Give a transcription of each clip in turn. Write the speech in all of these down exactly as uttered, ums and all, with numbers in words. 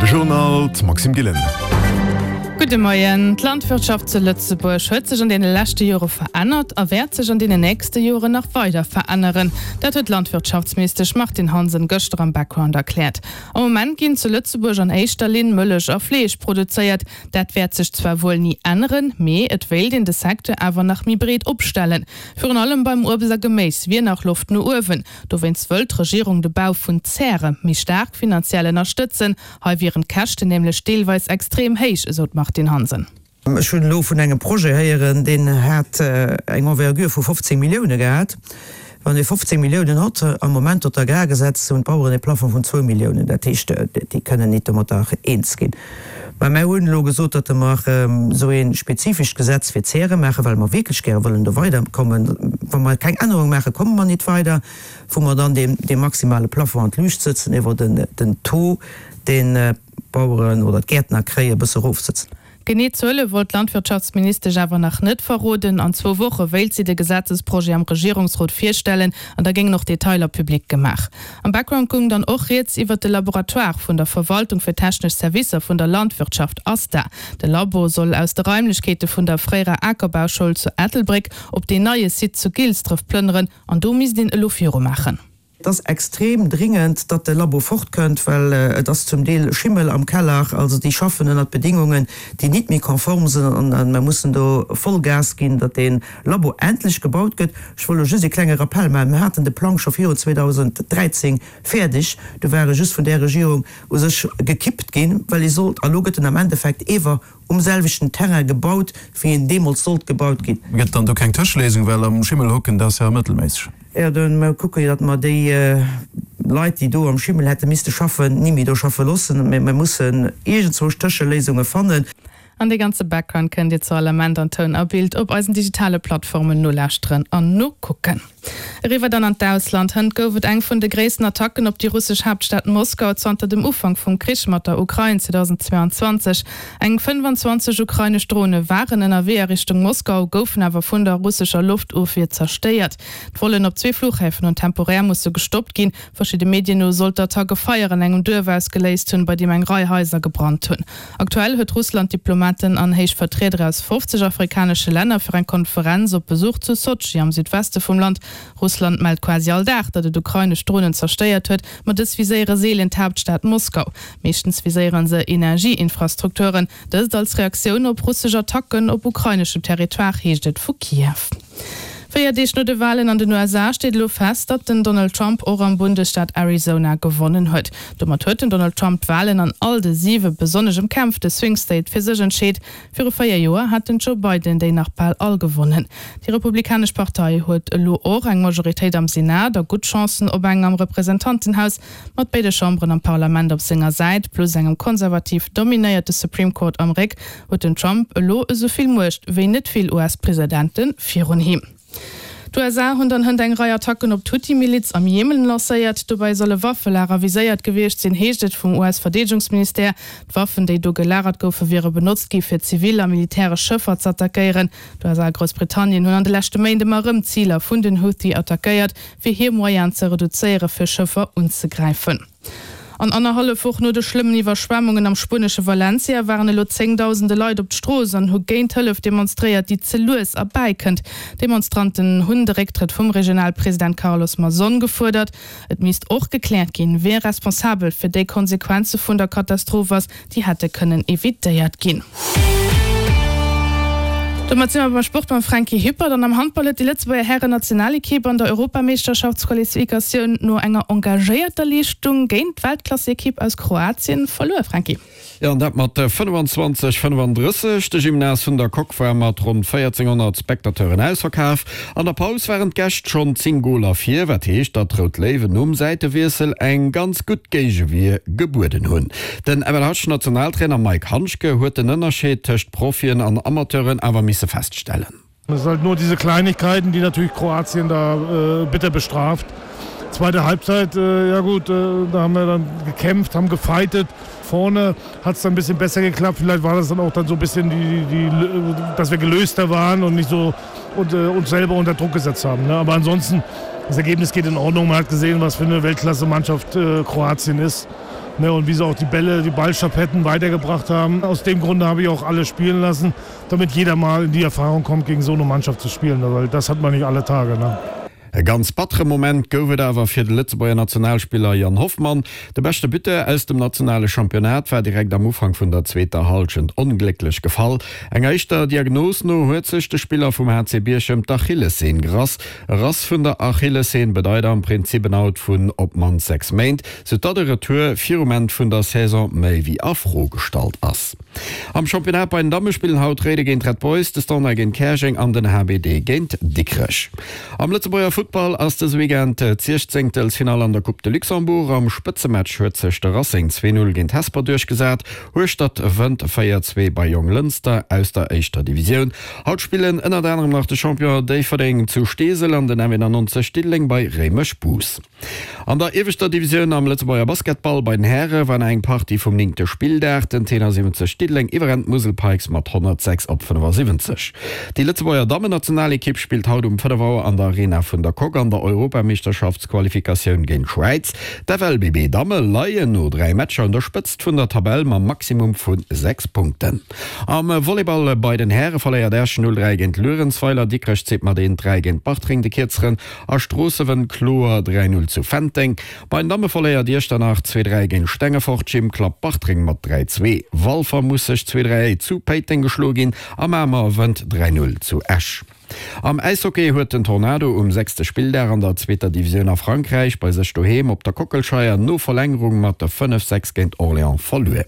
De Journal, d'Maxime Gillen. Gudde Moien. D'Landwirtschaft zu Lëtzebuerg huet sech an deene leschte Jore verännert a wäert sech an deenen nächste Joren nach weider veränneren. Dat huet d'Landwirtschaftsministesch Martine Hansen gëschter am Background erkläert. Am Moment ginn zu Lëtzebuerg an éischter Linn Mëllech a Fleesch produzéiert. Dat wäert sech zwar wuel ni änneren, mee et wéilt een de Secteur awer nach méi breet opstellen. Virun allem beim Uebst a Geméis wier nach Loft no uewen. Dowéinst wëllt d'Regierung de Bau vun Zäre méi staark finanziell ënnerstëtzen. Hei wieren d'Käschten nämlech deelweis extrem héich, esou d'Martine Hansen. Ech hunn elo vun engem Projet héieren, deen hat eng Envergure vu fofzéng Millioune gehat. Wann ee fofzéng Milliounen hott, am Moment huet d'Agrargesetz, hunn d'Baueren e Plafond vun zwou Milliounen. Dat heescht, déi kënnen nit domatter eens ginn. Mä mär hunn elo gesot, datt mer esou ee spezifescht Gesetz fir d'Zäre maachen, well mer wierklech gäre wëllen do weiderkommen. Wa mer keng Ännerung maachen, komme mer nit weider, wou mer dann dee maximale Plafond an d'Luucht sëtzen, iwwer den Taux, deen d'Baueren oder d'Gäertner kréien, e bësse erofsëtzen. Genee Zuele wollt d'Landwirtschaftsministesch awer nach net verroden. An zwou Woche wéilt si de Gesetzesprojet am Regierungsrot virstellen an da géingen och Detailer public gemaach. Am Background goung dann och rieds iwwert de Laboratoire vun der Verwaltung fir technesch Servicer vun der Landwirtschaft, ASTA. De Labo soll aus de Raimlechkeete vun der fréierer Akerbauschoul zu Ettelbréck op deen neie Site zu Gilsdref plënneren an do misst een elo virumaachen. Et ass extrem dringend, datt de Labo fortkënnt, well et ass zum Deel Schimmel am Keller. Also déi schaffen ënnert Bedingungen, déi nit méi konform sinn an mer mussen do voll Gas ginn, datt dee Labo endlech gebaut gëtt. Ech wëll elo just ee klenge Rappell maachen, Mir haten de Plang scho virun zweedausenddräizéng fäerdeg, du war e just vun där Regierung u sech gekippt ginn, well e sollt, a lo gëtt en am Endeffekt ewer um selwechten Terrain gebaut, wéi en deemools sollt gebaut ginn. Gëtt dann do keng Tëscheléisung, well am Schimmel hocken, dat ass jo mëttelméisseg. Jo, do mer kucke jo, datt mer déi Leit, déi do am Schimmel hätte misste schaffen, ni méi do schaffe loossen. Mä mer mussen iergendzwousch Tëscheléisunge fannen. An dee ganze Background kënnt Dir zu all Ament an Toun a Bild op eisen digitale Plattformen nolauschteren an nokucken. Eriwwer dann an d'Ausland. Hënt gouf et eng vun de gréissten Attacken op déi russesch Haaptstad Moskau zanter dem Ufank vum Krich mat der Ukrain zweedausendzweeanzwanzeg. Eng fënnfanzwanzeg ukrainesch Drone waren ënnerwee a Richtung Moskau, goufen awer vun der russescher Loftofwier zerstéiert. D'Vollen op zwee Fluchhäfen hunn temporär musse gestoppt ginn. Verschidde Medien no soll d'Attack e Feier an engem Duerf ausgeléist hunn, bei deem eng Rei Haiser gebrannt hunn. Aktuell huet Russland Diplomaten an héich Vertrieder aus fofzeg afrikanesche Länner fir eng Konferenz op Besuch zu Sotschi am Südweste vum Land. Russland mellt quasi all Dag, datt et ukrainesch Dronen zerstéiert huet, ma dës viséiere seelen d'Haaptstad Moskau. Meeschtens viséiere se Energieinfrastrukturen. Dëst als Reaktioun op russesch Attacken op ukraineschem Territoire, heescht et vu Kiew. Véier Deeg no de Walen an den U S A steet elo fest, datt den Donald Trump och am Bundesstaat Arizona gewonnen huet. Domat huet den Donald Trump d'Walen an all de siwe besonnesch ëmkämpfte Swing State fir sech entscheet. Viru véier Joer hat den Joe Biden déi nach bal all gewonnen. Déi Republikanesch Partei huet elo och eng Majoritéit am Senat a gutt Chancen op eng am Representantenhaus. Mat béide Chamberen am Parlament op senger Säit, plus engem konservativ dominéierte Supreme Court am Réck, huet den Trump elo esou vill Muecht wéi net vill U S-Presidente virun him. D'U S A hunn dann hënt eng Rei Attacken op d'Huthi-Miliz am Jemen lancéiert. Dobäi solle Waffelager viséiert gewiescht sinn, heescht et vum U S-Verdeedegungsministère. D'Waffen, déi do gelagert goufen, wiere benotzt gi fir zivil a militäresch Schëffer z'attackéieren. D'U S A a Groussbritannien hunn an de leschte Méint ëmmer erëm Ziler vun den Huthi attackéiert, fir hir Moyenen ze reduzéiere fir Schëffer unzegräifen. An annerhallef Woch no de schlëmmen Iwwerschwemmungen am spuenesche Valencia waren elo zéngdausende Leit op d'Strooss an hu géint d'Hëllef demonstréiert, déi ze lues erbäikënnt. D'Demonstranten hunn de Récktrëtt vum Regionalpresident Carlos Mazón gefuerdert. Et misst och gekläert ginn, wie responsabel fir déi Konsequenze vun der Katastroph ass, déi hätte kënnen evitéiert ginn. Domat si mer beim Sport mam Franky Hippert. An am Handball huet déi Lëtzebuerger Hären-Nationalekipp an der Europameeschterschaftsqualifikatioun no enger engagéierter Leeschtung géint d'Weltklassekipp aus Kroatien verluer. Franky. Jo, an dat mat fënnefanzwanzeg fënnefandrësseg. De Gymnase vun der Coque war mat ronn véierzénghonnert Spectateuren ausverkaf. An der Paus waren d'Gäscht schonn zéng Goler vir, wat heescht, datt d'Rout Léiwen nom Säitewiessel eng ganz gutt Géigewier gebueden hunn. Den F L H-Nationaltrainer Maik Handschke huet den Ënnerscheed tëscht Profien an Amateuren awer misse feststellen. Es sind halt nur diese Kleinigkeiten, die natürlich Kroatien da äh, bitter bestraft. Zweite Halbzeit, äh, ja gut, äh, da haben wir dann gekämpft, haben gefightet. Vorne hat es dann ein bisschen besser geklappt. Vielleicht war das dann auch dann so ein bisschen, die, die, die, dass wir gelöster waren und nicht so und, äh, uns selber unter Druck gesetzt haben. Ne? Aber ansonsten, das Ergebnis geht in Ordnung. Man hat gesehen, was für eine Weltklasse-Mannschaft äh, Kroatien ist. Ne, und wie sie auch die Bälle, die Ballschappetten weitergebracht haben. Aus dem Grunde habe ich auch alle spielen lassen, damit jeder mal in die Erfahrung kommt, gegen so eine Mannschaft zu spielen, weil das hat man nicht alle Tage. Ne? E ganz battere Moment gouf et awer fir de Lëtzebuerger Nationalspiller Yann Hoffmann. De beschte Buteur aus dem nationale Championnat war direkt am Ufank vun der zweeter Hallschent onglécklech gefall. Enger éischter Diagnos no huet sech de Spiller vum H C Bierchem d'Achillesseen gerass. E Rass vun der Achillesseen bedeit am Prinzip en Out vun op d'mannst sechs Méint, sou datt e Retour virum Enn vun der Saison méi wéi a Fro gestallt ass. Am Championnat bei den Damme spillen haut Réiden géint Red Boys, de Standard géint Käerjeng an den H B D géint Dikrech. Am Lëtzebuerger Futtball ass dëse Weekend d'Siechzéngtelsfinall an der Coupe de Luxembourg. Am Spëtzematch huet sech de Racing zwee Null géint Hesper duerchgesat. Hueschtert wënnt véier zwee bei Jonglënster aus der éischter Divisioun. Haut spillen ënnert anerem nach de Champion Déifferdeng zu Steesel an den M91 Diddeleng bei Réimech-Bous. An der ieweschter Divisioun am Lëtzebuerger Basketball bei den Häre war no eng Partie vum néngte Spilldag den Tenor siwwenzeg Diddeleng iwwerrennt d'Musel Pikes mat honnertsechs op fënnefasiwwenzeg. Déi Lëtzebuerger Dammennationalekipp spillt haut um fënnef Auer an der Arena vun der Coque an der Europameeschterschaftsqualifikatioun géint d'Schwäiz. D'F L B B Damme leien no dräi Matcher un der Spëtzt vun der Tabell mam Maximum vu sechs Punkten. Am Volleyball bei den Häre verléiert Esch null dräi géint Luerenzweiler, Dikrech zitt mat eent dräi géint Bartreng de Kierzeren a Stroossen kloer dräi null zu Fenteng. Bei den Damme verléiert Iechternach zwee dräi géint Stengefort, Gym klappt Bartreng mat dräi zwee, Walfer muss sech zwee dräi zu Péiteng geschloe ginn a Mamer wënnt dräi null zu Esch. Am Äishockey huet den Tornado um sechste Spilldag an der zweeter Divisioun a Frankräich bei sech doheem op der Kockelscheier no Verlängerung mat fënnef sechs géint Orléans verluer.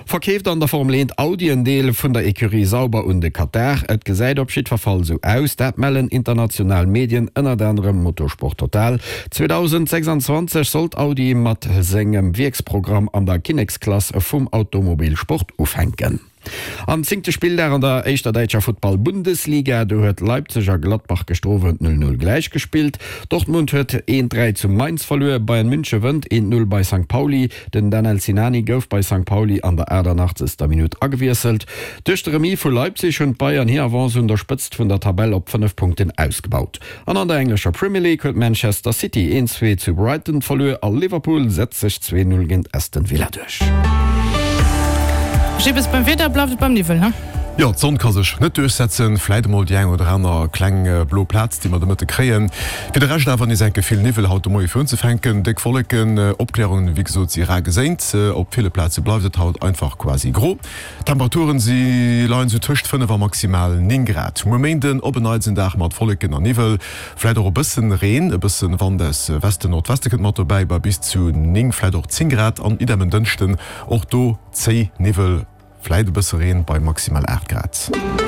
Verkeeft an der Formel eent Audi en Deel vun der Ecurie Sauber un de Katar? Et gesäit op jiddwer Fall sou aus, dat mellen international Medien, ënnert anerem Motorsport Total. zweedausendsechsanzwanzeg sollt Audi mat sengem Wierksprogramm an der Kinneksklass vum Automobilsport ufänken. Am zéngte Spilldag an der éischter däitscher Futtball-Bundesliga, do huet Leipzig a Gladbach gëschter Owend null null gläichgespillt. Dortmund huet eent dräi zu Mainz verluer. Bayern München wënnt eent null bei Sankt Pauli. Den Danel Sinani gouf bei Sankt Pauli an der aachtanachtzeger Minutt agewiesselt. Duerch de Remis vu Leipzig hunn d'Bayern hir Avance un der Spëtzt vun der Tabell op fënnef Punkten ausgebaut. An an der englescher Premier League huet Manchester City eent zwee zu Brighton verluer a Liverpool setzt sech zwee null géint Aston Villa duerch. Jibbes, beim Wieder bleift et beim Niwwel, he? Jo, d'Sonn ka sech net duerchsetzen, vläit emol déi eng oder aner kleng blo Plaz, déi mer de Mëtte kréien. Fir de Rescht awer nees enke vill Niwwel haut de Moie fir unzefänken, déck Wolleken, Opklärungen, wéi gesot, si rar geséint. Op ville Plaze bleift et haut einfach quasi gro. D'Temperaturen, si leien sou tëscht fënnef a maximal néng Grad. Muer Méinden op en Neits en Dag mat Wolleken an Niwwel, vläit och e bëssen Reen, e bëssen Wand aus Westen, Nordweste kënnt mat dobäi, bei bis zu néng, vläit och zéng Grad. An idem en Dënschden, och do zéi Niwwel, vläit e bësse Reen bei maximal aacht Grad.